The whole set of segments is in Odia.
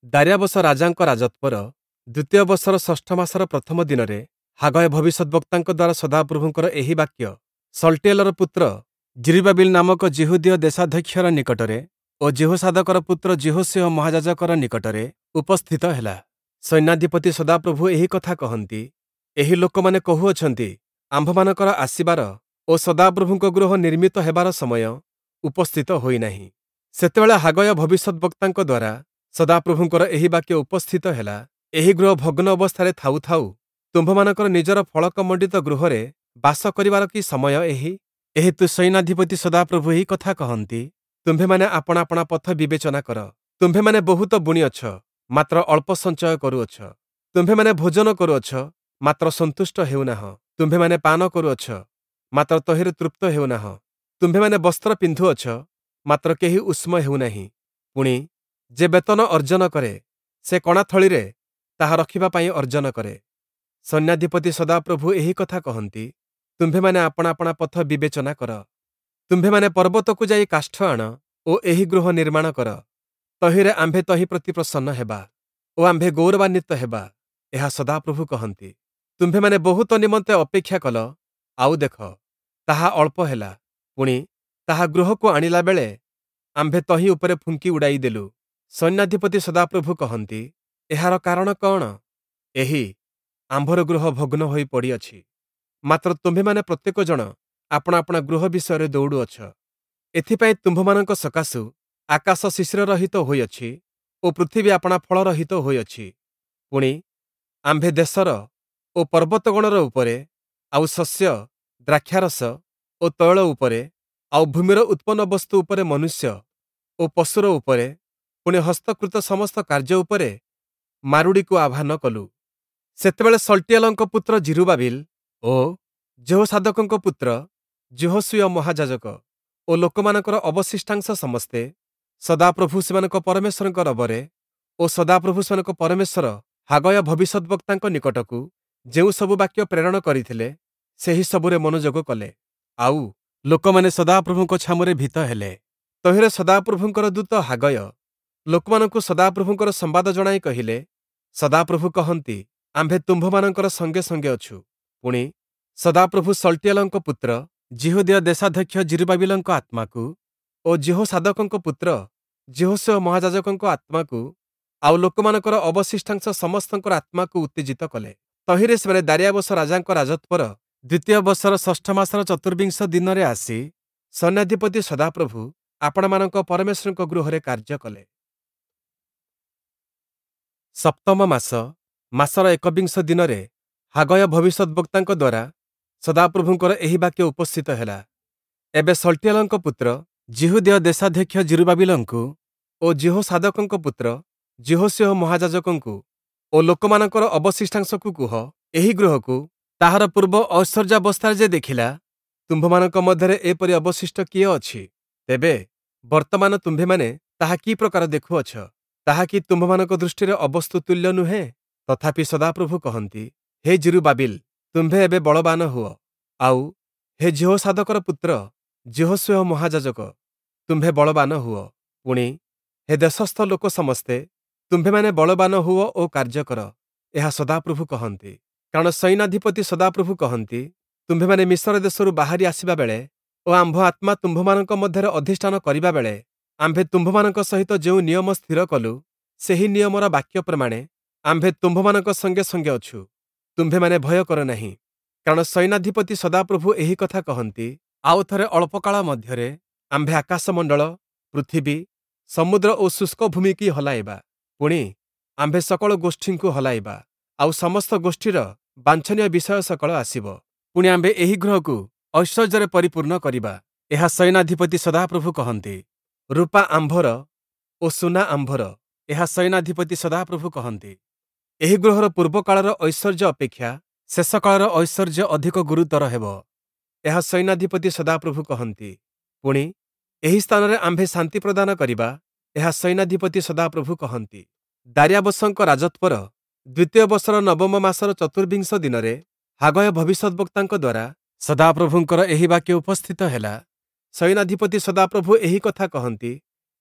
ଦାର୍ୟାବସ ରାଜାଙ୍କ ରାଜତ୍ୱର ଦ୍ୱିତୀୟ ବର୍ଷର ଷଷ୍ଠ ମାସର ପ୍ରଥମ ଦିନରେ ହାଗୟ ଭବିଷ୍ୟଦ୍‌ବକ୍ତାଙ୍କ ଦ୍ୱାରା ସଦାପ୍ରଭୁଙ୍କର ଏହି ବାକ୍ୟ ଶଲ୍ଟୀୟେଲର ପୁତ୍ର ଯିରୁବ୍ବାବିଲ ନାମକ ଯିହୁଦୀୟ ଦେଶାଧ୍ୟକ୍ଷର ନିକଟରେ ଓ ଯିହୋସାଦକର ପୁତ୍ର ଯିହୋଶୂୟ ମହାଯାଜକର ନିକଟରେ ଉପସ୍ଥିତ ହେଲା। ସୈନ୍ୟାଧିପତି ସଦାପ୍ରଭୁ ଏହି କଥା କହନ୍ତି, ଏହି ଲୋକମାନେ କହୁଅଛନ୍ତି, ଆମ୍ଭମାନଙ୍କର ଆସିବାର ଓ ସଦାପ୍ରଭୁଙ୍କ ଗୃହ ନିର୍ମିତ ହେବାର ସମୟ ଉପସ୍ଥିତ ହୋଇନାହିଁ। ସେତେବେଳେ ହାଗୟ ଭବିଷ୍ୟଦ୍‌ବକ୍ତାଙ୍କ ଦ୍ୱାରା ସଦାପ୍ରଭୁଙ୍କର ଏହି ବାକ୍ୟ ଉପସ୍ଥିତ ହେଲା, ଏହି ଗୃହ ଭଗ୍ନ ଅବସ୍ଥାରେ ଥାଉ ଥାଉ ତୁମ୍ଭମାନଙ୍କର ନିଜର ଫଳକମଣ୍ଡିତ ଗୃହରେ ବାସ କରିବାର କି ସମୟ ଏହି? ଏହେତୁ ସୈନ୍ୟାଧିପତି ସଦାପ୍ରଭୁ ଏହି କଥା କହନ୍ତି, ତୁମ୍ଭେମାନେ ଆପଣା ଆପଣା ପଥ ବିବେଚନା କର। ତୁମ୍ଭେମାନେ ବହୁତ ବୁଣିଅଛ, ମାତ୍ର ଅଳ୍ପ ସଞ୍ଚୟ କରୁଅଛ। ତୁମ୍ଭେମାନେ ଭୋଜନ କରୁଅଛ, ମାତ୍ର ସନ୍ତୁଷ୍ଟ ହେଉନାହଁ। ତୁମ୍ଭେମାନେ ପାନ କରୁଅଛ, ମାତ୍ର ତହିଁରେ ତୃପ୍ତ ହେଉନାହଁ। ତୁମ୍ଭେମାନେ ବସ୍ତ୍ର ପିନ୍ଧୁଅଛ, ମାତ୍ର କେହି ଉଷ୍ମ ହେଉନାହିଁ। ପୁଣି, ଯେ ବେତନ ଅର୍ଜନ କରେ, ସେ କଣାଥଳିରେ ତାହା ରଖିବା ପାଇଁ ଅର୍ଜନ କରେ। ସୈନ୍ୟାଧିପତି ସଦାପ୍ରଭୁ ଏହି କଥା କହନ୍ତି, ତୁମ୍ଭେମାନେ ଆପଣା ଆପଣା ପଥ ବିବେଚନା କର। ତୁମ୍ଭେମାନେ ପର୍ବତକୁ ଯାଇ କାଷ୍ଠ ଆଣ ଓ ଏହି ଗୃହ ନିର୍ମାଣ କର। ତହିଁରେ ଆମ୍ଭେ ତହିଁ ପ୍ରତି ପ୍ରସନ୍ନ ହେବା ଓ ଆମ୍ଭେ ଗୌରବାନ୍ୱିତ ହେବା, ଏହା ସଦାପ୍ରଭୁ କହନ୍ତି। ତୁମ୍ଭେମାନେ ବହୁତ ନିମନ୍ତେ ଅପେକ୍ଷା କଲ, ଆଉ ଦେଖ, ତାହା ଅଳ୍ପ ହେଲା। ପୁଣି, ତାହା ଗୃହକୁ ଆଣିଲା ବେଳେ ଆମ୍ଭେ ତହିଁ ଉପରେ ଫୁଙ୍କି ଉଡ଼ାଇ ଦେଲୁ। ସୈନ୍ୟାଧିପତି ସଦାପ୍ରଭୁ କହନ୍ତି, ଏହାର କାରଣ କଅଣ? ଏହି, ଆମ୍ଭର ଗୃହ ଭଗ୍ନ ହୋଇ ପଡ଼ିଅଛି। ମାତ୍ର ତୁମ୍ଭେମାନେ ପ୍ରତ୍ୟେକ ଜଣ ଆପଣା ଆପଣା ଗୃହ ବିଷୟରେ ଦୌଡ଼ୁଅଛ। ଏଥିପାଇଁ ତୁମ୍ଭମାନଙ୍କ ସକାଶୁ ଆକାଶ ଶିଶିରରହିତ ହୋଇଅଛି ଓ ପୃଥିବୀ ଆପଣା ଫଳରହିତ ହୋଇଅଛି। ପୁଣି, ଆମ୍ଭେ ଦେଶର ଓ ପର୍ବତଗଣର ଉପରେ, ଆଉ ଶସ୍ୟ, ଦ୍ରାକ୍ଷାରସ ଓ ତୈଳ ଉପରେ, ଆଉ ଭୂମିର ଉତ୍ପନ୍ନ ବସ୍ତୁ ଉପରେ ମନୁଷ୍ୟ ଓ ପଶୁର ଉପରେ, ପୁଣି ହସ୍ତକୃତ ସମସ୍ତ କାର୍ଯ୍ୟ ଉପରେ ମାରୁଡ଼ିକୁ ଆହ୍ୱାନ କଲୁ। ସେତେବେଳେ ଶଲ୍ଟୀୟେଲଙ୍କ ପୁତ୍ର ଯିରୁବ୍ବାବିଲ ଓ ଯିହୋସାଦକଙ୍କ ପୁତ୍ର ଯିହୋଶୂୟ ମହାଯାଜକ ଓ ଲୋକମାନଙ୍କର ଅବଶିଷ୍ଟାଂଶ ସମସ୍ତେ ସଦାପ୍ରଭୁ ସେମାନଙ୍କ ପରମେଶ୍ୱରଙ୍କ ରବରେ ଓ ସଦାପ୍ରଭୁ ସେମାନଙ୍କ ପରମେଶ୍ୱର ହାଗୟ ଭବିଷ୍ୟଦ୍‌ବକ୍ତାଙ୍କ ନିକଟକୁ ଯେଉଁ ସବୁ ବାକ୍ୟ ପ୍ରେରଣ କରିଥିଲେ, ସେହି ସବୁରେ ମନୋଯୋଗ କଲେ। ଆଉ ଲୋକମାନେ ସଦାପ୍ରଭୁଙ୍କ ଛାମୁରେ ଭୀତ ହେଲେ। ତହିଁରେ ସଦାପ୍ରଭୁଙ୍କର ଦୂତ ହାଗୟ ଲୋକମାନଙ୍କୁ ସଦାପ୍ରଭୁଙ୍କର ସମ୍ବାଦ ଜଣାଇ କହିଲେ, ସଦାପ୍ରଭୁ କହନ୍ତି, ଆମ୍ଭେ ତୁମ୍ଭମାନଙ୍କର ସଙ୍ଗେ ସଙ୍ଗେ ଅଛୁ। ପୁଣି, ସଦାପ୍ରଭୁ ଶଲ୍ଟୀୟେଲଙ୍କ ପୁତ୍ର ଯିହୁଦୀୟ ଦେଶାଧ୍ୟକ୍ଷ ଯିରୁବ୍ବାବିଲଙ୍କ ଆତ୍ମାକୁ ଓ ଯିହୋସାଦକଙ୍କ ପୁତ୍ର ଯିହୋଶୂୟ ମହାଯାଜକଙ୍କ ଆତ୍ମାକୁ ଆଉ ଲୋକମାନଙ୍କର ଅବଶିଷ୍ଟାଂଶ ସମସ୍ତଙ୍କର ଆତ୍ମାକୁ ଉତ୍ତେଜିତ କଲେ। ତହିଁରେ ସେମାନେ ଦାର୍ୟାବସ ରାଜାଙ୍କ ରାଜତ୍ୱର ଦ୍ୱିତୀୟ ବର୍ଷର ଷଷ୍ଠ ମାସର ଚତୁର୍ବିଂଶ ଦିନରେ ଆସି ସୈନ୍ୟାଧିପତି ସଦାପ୍ରଭୁ ଆପଣାମାନଙ୍କ ପରମେଶ୍ୱରଙ୍କ ଗୃହରେ କାର୍ଯ୍ୟ କଲେ। ସପ୍ତମ ମାସ, ମାସର ଏକବିଂଶ ଦିନରେ ହାଗୟ ଭବିଷ୍ୟଦ୍‌ବକ୍ତାଙ୍କ ଦ୍ୱାରା ସଦାପ୍ରଭୁଙ୍କର ଏହି ବାକ୍ୟ ଉପସ୍ଥିତ ହେଲା। ଏବେ ଶଲ୍ଟୀୟେଲଙ୍କ ପୁତ୍ର ଯିହୁଦୀୟ ଦେଶାଧ୍ୟକ୍ଷ ଯିରୁବ୍ବାବିଲଙ୍କୁ ଓ ଯିହୋସାଦକଙ୍କ ପୁତ୍ର ଯିହୋଶୂୟ ମହାଯାଜକଙ୍କୁ ଓ ଲୋକମାନଙ୍କର ଅବଶିଷ୍ଟାଂଶକୁ କୁହ, ଏହି ଗୃହକୁ ତାହାର ପୂର୍ବ ଐଶ୍ୱର୍ଯ୍ୟାବସ୍ଥାରେ ଯେ ଦେଖିଲା, ତୁମ୍ଭମାନଙ୍କ ମଧ୍ୟରେ ଏପରି ଅବଶିଷ୍ଟ କିଏ ଅଛି? ତେବେ ବର୍ତ୍ତମାନ ତୁମ୍ଭେମାନେ ତାହା କି ପ୍ରକାର ଦେଖୁଅଛ? ତାହା କି ତୁମ୍ଭମାନଙ୍କ ଦୃଷ୍ଟିରେ ଅବସ୍ତୁ ତୁଲ୍ୟ ନୁହେଁ? ତଥାପି ସଦାପ୍ରଭୁ କହନ୍ତି, ହେ ଯିରୁବ୍ବାବିଲ, ତୁମ୍ଭେ ଏବେ ବଳବାନ ହୁଅ। ଆଉ ହେ ଯିହୋସାଦକର ପୁତ୍ର ଯିହୋଶୂୟ ମହାଯାଜକ, ତୁମ୍ଭେ ବଳବାନ ହୁଅ। ପୁଣି, ହେ ଦେଶସ୍ଥ ଲୋକ ସମସ୍ତେ, ତୁମ୍ଭେମାନେ ବଳବାନ ହୁଅ ଓ କାର୍ଯ୍ୟ କର, ଏହା ସଦାପ୍ରଭୁ କହନ୍ତି। କାରଣ ସୈନ୍ୟାଧିପତି ସଦାପ୍ରଭୁ କହନ୍ତି, ତୁମ୍ଭେମାନେ ମିଶର ଦେଶରୁ ବାହାରି ଆସିବା ବେଳେ ଓ ଆମ୍ଭ ଆତ୍ମା ତୁମ୍ଭମାନଙ୍କ ମଧ୍ୟରେ ଅଧିଷ୍ଠାନ କରିବା ବେଳେ ଆମ୍ଭେ ତୁମ୍ଭମାନଙ୍କ ସହିତ ଯେଉଁ ନିୟମ ସ୍ଥିର କଲୁ, ସେହି ନିୟମର ବାକ୍ୟ ପ୍ରମାଣେ ଆମ୍ଭେ ତୁମ୍ଭମାନଙ୍କ ସଙ୍ଗେ ସଙ୍ଗେ ଅଛୁ। ତୁମ୍ଭେମାନେ ଭୟ କର ନାହିଁ। କାରଣ ସୈନ୍ୟାଧିପତି ସଦାପ୍ରଭୁ ଏହି କଥା କହନ୍ତି, ଆଉ ଥରେ ଅଳ୍ପକାଳ ମଧ୍ୟରେ ଆମ୍ଭେ ଆକାଶମଣ୍ଡଳ, ପୃଥିବୀ, ସମୁଦ୍ର ଓ ଶୁଷ୍କ ଭୂମିକି ହଲାଇବା। ପୁଣି, ଆମ୍ଭେ ସକଳ ଗୋଷ୍ଠୀଙ୍କୁ ହଲାଇବା, ଆଉ ସମସ୍ତ ଗୋଷ୍ଠୀର ବାଞ୍ଛନୀୟ ବିଷୟ ସକଳ ଆସିବ। ପୁଣି ଆମ୍ଭେ ଏହି ଗୃହକୁ ଐଶ୍ୱର୍ଯ୍ୟରେ ପରିପୂର୍ଣ୍ଣ କରିବା, ଏହା ସୈନ୍ୟାଧିପତି ସଦାପ୍ରଭୁ କହନ୍ତି। ରୂପା ଆମ୍ଭର ଓ ସୁନା ଆମ୍ଭର, ଏହା ସୈନ୍ୟାଧିପତି ସଦାପ୍ରଭୁ କହନ୍ତି। ଏହି ଗୃହର ପୂର୍ବକାଳର ଐଶ୍ୱର୍ଯ୍ୟ ଅପେକ୍ଷା ଶେଷକାଳର ଐଶ୍ୱର୍ଯ୍ୟ ଅଧିକ ଗୁରୁତର ହେବ, ଏହା ସୈନ୍ୟାଧିପତି ସଦାପ୍ରଭୁ କହନ୍ତି। ପୁଣି, ଏହି ସ୍ଥାନରେ ଆମ୍ଭେ ଶାନ୍ତି ପ୍ରଦାନ କରିବା, ଏହା ସୈନ୍ୟାଧିପତି ସଦାପ୍ରଭୁ କହନ୍ତି। ଦାର୍ୟାବସଙ୍କ ରାଜତ୍ୱର ଦ୍ୱିତୀୟ ବର୍ଷର ନବମ ମାସର ଚତୁର୍ବିଂଶ ଦିନରେ ହାଗୟ ଭବିଷ୍ୟଦ୍‌ବକ୍ତାଙ୍କ ଦ୍ୱାରା ସଦାପ୍ରଭୁଙ୍କର ଏହି ବାକ୍ୟ ଉପସ୍ଥିତ ହେଲା। ସୈନ୍ୟାଧିପତି ସଦାପ୍ରଭୁ ଏହି କଥା କହନ୍ତି,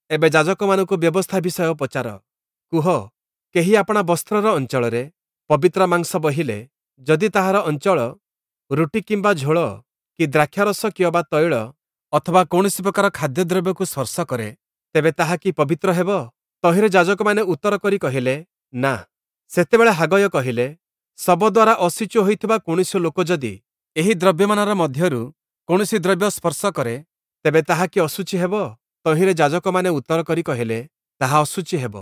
ଏବେ ଯାଜକମାନଙ୍କୁ ବ୍ୟବସ୍ଥା ବିଷୟ ପଚାର। କୁହ, କେହି ଆପଣା ବସ୍ତ୍ରର ଅଞ୍ଚଳରେ ପବିତ୍ର ମାଂସ ବହିଲେ, ଯଦି ତାହାର ଅଞ୍ଚଳ ରୁଟି କିମ୍ବା ଝୋଳ କି ଦ୍ରାକ୍ଷାରସ କିଅବା ତୈଳ ଅଥବା କୌଣସି ପ୍ରକାର ଖାଦ୍ୟଦ୍ରବ୍ୟକୁ ସ୍ପର୍ଶ କରେ, ତେବେ ତାହା କି ପବିତ୍ର ହେବ? ତହିଁରେ ଯାଜକମାନେ ଉତ୍ତର କରି କହିଲେ, ନା। ସେତେବେଳେ ହାଗୟ କହିଲେ, ଶବ ଦ୍ୱାରା ଅଶୁଚି ହୋଇଥିବା କୌଣସି ଲୋକ ଯଦି ଏହି ଦ୍ରବ୍ୟମାନର ମଧ୍ୟରୁ କୌଣସି ଦ୍ରବ୍ୟ ସ୍ପର୍ଶ କରେ, ତେବେ ତାହା କି ଅଶୁଚି ହେବ? ତହିଁରେ ଯାଜକମାନେ ଉତ୍ତର କରି କହିଲେ, ତାହା ଅଶୁଚି ହେବ।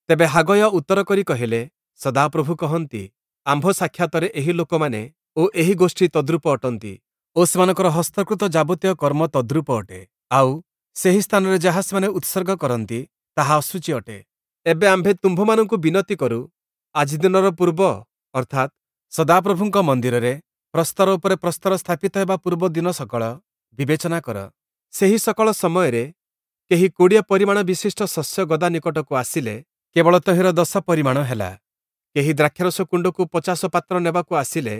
ତେବେ ହାଗୟ ଉତ୍ତର କରି କହିଲେ, ସଦାପ୍ରଭୁ କହନ୍ତି, ଆମ୍ଭ ସାକ୍ଷାତରେ ଏହି ଲୋକମାନେ ଓ ଏହି ଗୋଷ୍ଠୀ ତଦ୍ରୂପ ଅଟନ୍ତି ଓ ସେମାନଙ୍କର ହସ୍ତକୃତ ଯାବତୀୟ କର୍ମ ତଦ୍ରୂପ ଅଟେ। ଆଉ ସେହି ସ୍ଥାନରେ ଯାହା ସେମାନେ ଉତ୍ସର୍ଗ କରନ୍ତି, ତାହା ଅଶୁଚି ଅଟେ। ଏବେ ଆମ୍ଭେ ତୁମ୍ଭମାନଙ୍କୁ ବିନତି କରୁ, ଆଜି ଦିନର ପୂର୍ବ, ଅର୍ଥାତ୍ ସଦାପ୍ରଭୁଙ୍କ ମନ୍ଦିରରେ ପ୍ରସ୍ତର ଉପରେ ପ୍ରସ୍ତର ସ୍ଥାପିତ ହେବା ପୂର୍ବ ଦିନ ସକଳ ବିବେଚନା କର। ସେହି ସକଳ ସମୟରେ କେହି 20 ପରିମାଣ ବିଶିଷ୍ଟ ଶସ୍ୟ ଗଦା ନିକଟକୁ ଆସିଲେ କେବଳ ତହିଁର 10 ପରିମାଣ ହେଲା। କେହି ଦ୍ରାକ୍ଷାରସ କୁଣ୍ଡକୁ 50 ପାତ୍ର ନେବାକୁ ଆସିଲେ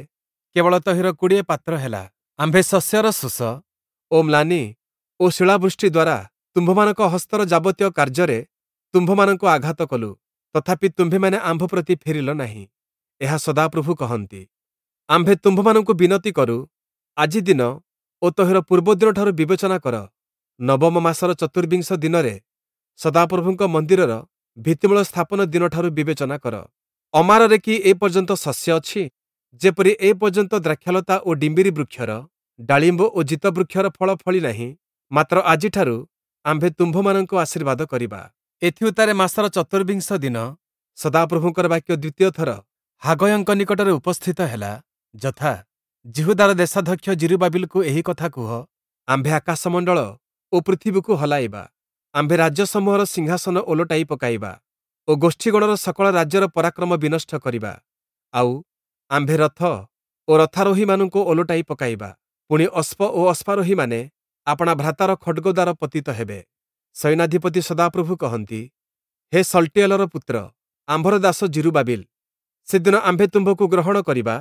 କେବଳ ତହିଁର 20 ପାତ୍ର ହେଲା। ଆମ୍ଭେ ଶସ୍ୟର ଶୋଷ ଓ ମ୍ଲାନି ଓ ଶିଳାବୃଷ୍ଟି ଦ୍ୱାରା ତୁମ୍ଭମାନଙ୍କ ହସ୍ତର ଯାବତୀୟ କାର୍ଯ୍ୟରେ ତୁମ୍ଭମାନଙ୍କୁ ଆଘାତ କଲୁ, ତଥାପି ତୁମ୍ଭେମାନେ ଆମ୍ଭ ପ୍ରତି ଫେରିଲ ନାହିଁ। ଏହା ସଦାପ୍ରଭୁ କହନ୍ତି। ଆମ୍ଭେ ତୁମ୍ଭମାନଙ୍କୁ ବିନତି କରୁ, ଆଜି ଦିନ ଓ ତହିଁର ପୂର୍ବ ଦିନଠାରୁ ବିବେଚନା କର। ନବମ ମାସର ଚତୁର୍ବିଂଶ ଦିନରେ ସଦାପ୍ରଭୁଙ୍କ ମନ୍ଦିରର ଭିତ୍ତିମୂଳ ସ୍ଥାପନ ଦିନଠାରୁ ବିବେଚନା କର। ଅମାରରେ କି ଏ ପର୍ଯ୍ୟନ୍ତ ଶସ୍ୟ ଅଛି? ଯେପରି ଏ ପର୍ଯ୍ୟନ୍ତ ଦ୍ରାକ୍ଷାଲତା ଓ ଡିମ୍ବିରି ବୃକ୍ଷର, ଡାଳିମ୍ବ ଓ ଜିତ ବୃକ୍ଷର ଫଳ ଫଳି ନାହିଁ, ମାତ୍ର ଆଜିଠାରୁ ଆମ୍ଭେ ତୁମ୍ଭମାନଙ୍କୁ ଆଶୀର୍ବାଦ କରିବା। ଏଥିଉତ୍ତାରେ ମାସର ଚତୁର୍ବିଂଶ ଦିନ ସଦାପ୍ରଭୁଙ୍କର ବାକ୍ୟ ଦ୍ୱିତୀୟ ଥର ହାଗୟଙ୍କ ନିକଟରେ ଉପସ୍ଥିତ ହେଲା, ଯଥା, ଯିହୁଦାର ଦେଶାଧ୍ୟକ୍ଷ ଯିରୁବାବିଲକୁ ଏହି କଥା କୁହ, ଆମ୍ଭେ ଆକାଶମଣ୍ଡଳ ଓ ପୃଥିବୀକୁ ହଲାଇବା। ଆମ୍ଭେ ରାଜ୍ୟସମୂହର ସିଂହାସନ ଓଲଟାଇ ପକାଇବା ଓ ଗୋଷ୍ଠୀଗଣର ସକଳ ରାଜ୍ୟର ପରାକ୍ରମ ବିନଷ୍ଟ କରିବା। ଆଉ ଆମ୍ଭେ ରଥ ଓ ରଥାରୋହୀମାନଙ୍କୁ ଓଲଟାଇ ପକାଇବା। ପୁଣି ଅଶ୍ପ ଓ ଅଶ୍ୱାରୋହୀମାନେ ଆପଣା ଭ୍ରାତାର ଖଡ଼୍ଗ ଦ୍ୱାରା ପତିତ ହେବେ। ସୈନ୍ୟାଧିପତି ସଦାପ୍ରଭୁ କହନ୍ତି, ହେ ଶଲ୍ଟୀୟେଲର ପୁତ୍ର, ଆମ୍ଭର ଦାସ ଯିରୁବାବିଲ, ସେଦିନ ଆମ୍ଭେ ତୁମ୍ଭକୁ ଗ୍ରହଣ କରିବା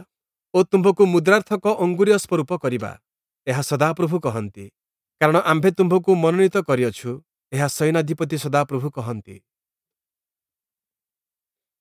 ଓ ତୁମ୍ଭକୁ ମୁଦ୍ରାର୍ଥକ ଅଙ୍ଗୁରୀୟ ସ୍ୱରୂପ କରିବା। ଏହା ସଦାପ୍ରଭୁ କହନ୍ତି। କାରଣ ଆମ୍ଭେ ତୁମ୍ଭକୁ ମନୋନୀତ କରିଅଛୁ, ଏହା ସୈନ୍ୟାଧିପତି ସଦାପ୍ରଭୁ କହନ୍ତି।